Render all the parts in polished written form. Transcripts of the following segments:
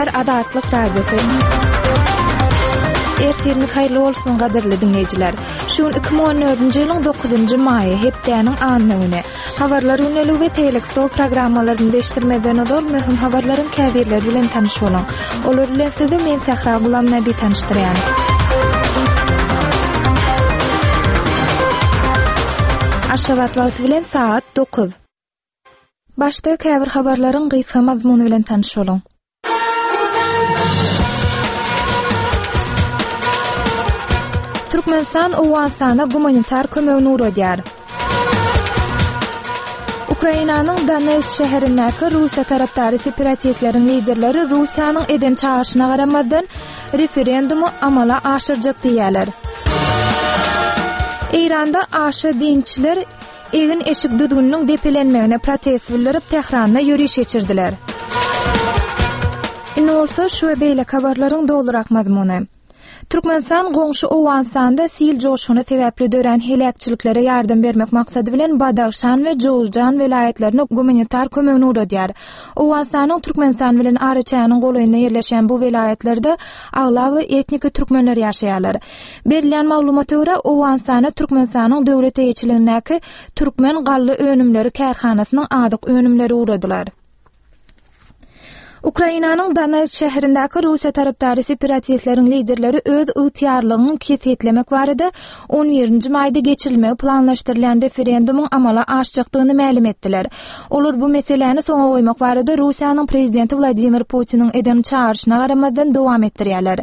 gepleýär Azatlyk Radiosy. Ertiriňiz haýyrly bolsun gadyrly diňleýjiler. Şu gün 2014-nji ýylyň 9-njy maýy, hepdäniň anna güni. Habarlar gündeligi we Tegelek stol programmalaryny deşdirmezden ozal möhüm habarlaryň käbirleri bilen tanyş boluň. Olar bilen sizi men Sähra Gulamnabi tanyşdyrýan. Aşgabat wagty bilen sagat 9. Başda käbir habarlaryň gysga mazmuny bilen tanyş boluň. Türkmenistan Owganystana gumanitar kömegini ugradýar. Ukrainanyň Donetsk şäherindäki Russiýa tarapdary separatistleriň liderleri Russiýanyň eden çagyryşyna garamazdan referendumy amala aşyrjak diýýärler. Eýranda aşa dinçiler Egin-eşik düzgüniniň depelenmegine protest bildirip, Tähranda ýöriş geçirdiler. Indi bolsa şu we beýleki habarlaryň dolurak mazmuny. Türkmenistan goňşy Owganystanda sil joşguny sebäpli dörän heläkçiliklere ýardam bermek maksady bilen Badahşan we Jowzjan welaýatlaryna gumanitar kömegini ugradýar. Owganystanyň Türkmenistan bilen araçäginiň golaýynda ýerleşýän bu welaýatlarda aglaba etniki türkmenler ýaşaýarlar. Berilýän maglumata görä, Owganystana Türkmenistanyň döwlet eýeçiligindäki Türkmen galla önümleri kärhanasynyň azyk önümleri ugradylar. Ukrainanyň Donetsk şäherindäki Russiýa tarapdary separatistleriň liderleri öz ygtyýarlygyny kesgitlemek barada on birinji maýda geçirilmegi planlaşdyrylýan referendumyň amala aşjakdygyny mälim etdiler. Olar bu meseläni soňa goýmak barada Russiýanyň prezidenti Wladimir Putiniň eden çagyryşyna garamazdan dowam etdirýärler.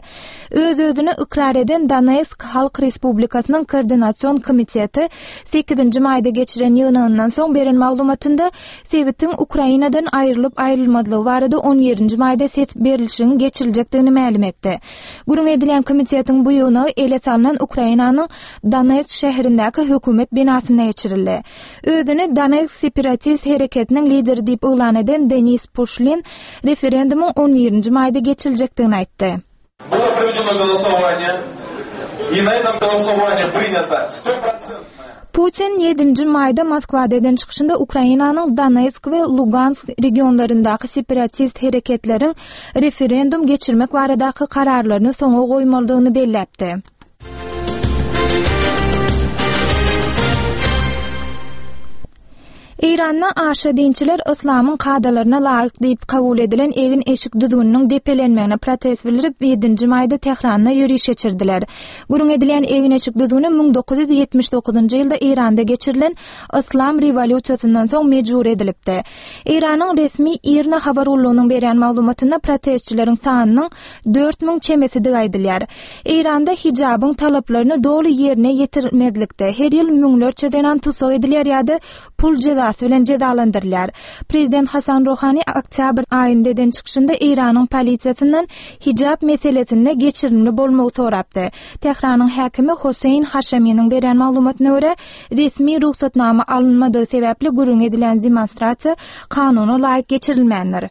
Öz-özüni ykrar eden Donetsk Halk Respublikasynyň Koordinasion komiteti sekizinji maýda geçiren ýygnagyndan soň beren maglumatynda sebitiň Ukrainadan aýrylyp-aýrylmazlygy barada on birinji maýda ses berlişigiň geçiriljekdigini mälim etdi. Gürrüň edilýän komitetiň bu ýygnagy ele salnan Ukrainanyň Donetsk şäherindäki hökümet binasynda geçirildi. Özüni Donetsk separatist hereketiniň lideri diýip yglan eden Denis Puşlin referendumyň on birinji maýda geçiriljekdigini aýtdy. Было проведено голосование, и на этом голосовании принято стопроцентное. Putin ýedinji maýda Moskwada eden çykyşynda Ukrainanyň Donetsk we Lugansk regionlaryndaky separatist hereketleriň referendum geçirmek baradaky kararlaryny soňa goýmalydygyny belläpdi. Eýranda aşa dinçiler yslamyň kadalaryna laýyk diýip kabul edilen egin-eşik düzgüniniň depelenmegine protest bildirip, ýedinji maýda Tähranda ýöriş geçirdiler. Gürrüň edilýän egin-eşik düzgüni 1979-njy ýylda Eýranda geçirilen yslam rewolýusiýasyndan soň mejbury edilipdi. Eýranyň resmi IRNA habar gullugynyň berýän maglumatynda protestçileriň sanynyň 4000 çemesidigi aýdylýar. Eýranda hijabyň talaplaryny doly ýerine ýetirmezlikde her ýyl müňlerçe zenan tussag edilýär ýa-da pul jezasy bilen jezalandyrylýar. Prezident Hasan Ruhani oktýabr aýynda eden çykyşynda Eýranyň polisiýasyndan hijap meselesinde geçirimli bolmagy sorapdy. Tähranyň häkimi Hossein Haşeminiň berýän maglumatyna görä, resmi rugsatnama alynmadygy sebäpli gürrüňi edilýän demonstrasiýa kanuna laýyk geçirilmändir.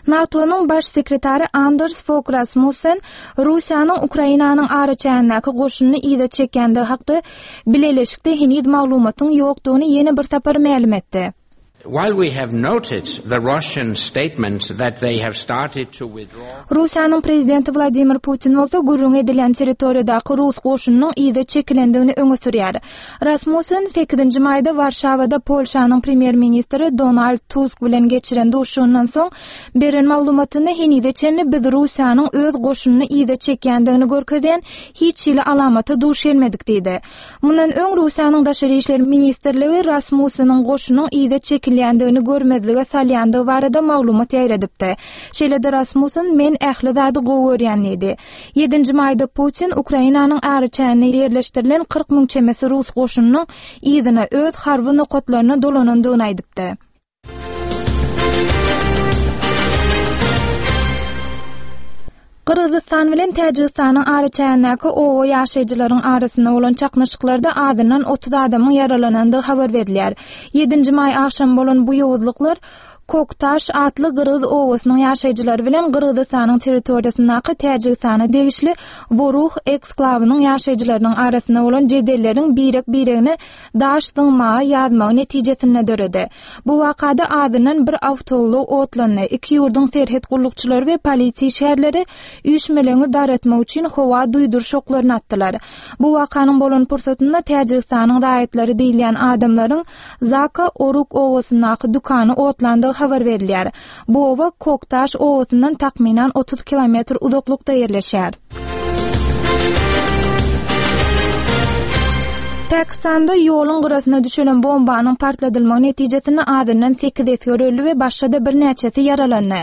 NATO-nyň baş sekretary Anders Fog Rasmussen Russiýanyň Ukrainanyň araçägindäki goşunyny yza çekýändigi hakda bileleşikde heniz maglumatyň ýokdugyny ýene bir sapar mälim etdi. While we have noted the Russian statement that they have started to withdraw. Russiýanyň prezidenti Wladimir Putin bolsa gürrüňi edilýän territoriýadaky rus goşunynyň yza çekilendigini öňe sürýär. Rasmussen sekizinji maýda Warşawada Polşanyň premýer-ministri Donald Tusk bilen geçiren duşuşygyndan soň beren maglumatynda henize çenli biz Russiýanyň öz goşunyny yza çekýändigini görkezýän hiç hili alamata duş gelmedik diýdi. Mundan öň Russiýanyň Daşary işler ministrligi Rasmusseniň goşunyň yza çekilýändigini görmezlige salýandygy barada maglumat ýaýradypdy. Şeýle-de Rasmussen men ähli zady gowy görýän diýdi. Ýedinji maýda Putin Ukrainanyň araçäginde ýerleşdirilen 40 müň çemesi rus goşunynyň yzyna, öz harby nokatlaryna dolanandygyny aýdypdy. Gyrgyzystan bilen Täjigistanyň araçägindäki oba ýaşaýjylaryň arasynda bolan çaknyşyklarda azyndan 30 adamyň ýaralanandygy habar berilýär. Ýedinji maý agşamy bolan bu ýowuzlyklar. Koktaş atly gyrgyz obasynyň ýaşaýjylary bilen Gyrgyzystanyň territoriýasyndaky Täjigistana degişli Woruh eksklawynyň ýaşaýjylarynyň arasynda bolan jedelleriň birek-biregine daş zyňmaga ýazmagy netijesinde döredi. Bu wakada azyndan bir awtoulag otlandy. Iki ýurduň serhet gullukçylary we polisiýa işgärleri üýşmeleňi dargatmak üçin howa duýduryş oklaryny atdylar. Bu wakanyň bolan pursatynda Täjigistanyň raýatlary diýilýän adamlaryň Zaka Oruk obasyndaky dükany otlandygy habar berilýär. Bu oba Koktaş obasyndan takmynan 30 kilometr uzaklykda ýerleşýär. Pakistanda ýoluň gyrasyna düşelen bombanyň partladylmagy netijesinde azyndan sekiz esger öldi we başga-da birnäçesi ýaralandy.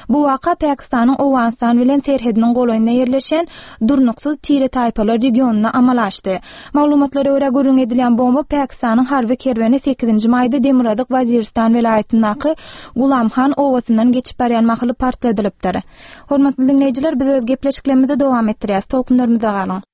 Bu waka Pakistanyň Owganystan bilen serhediniň golaýynda ýerleşýän durnuksyz tire-taýpalar regionynda amala aşdy. Maglumatlara görä, gürrüň edilýän bomba Pakistanyň harby kerweni sekizinji maýda Demirgazyk Waziristan welaýatyndaky Gulamhan obasyndan geçip barýan mahaly partladylypdyr. Hormatly diňleýjiler, biz öz gepleşiklerimizi dowam etdirýäris. Tolkunlarymyzda galyň!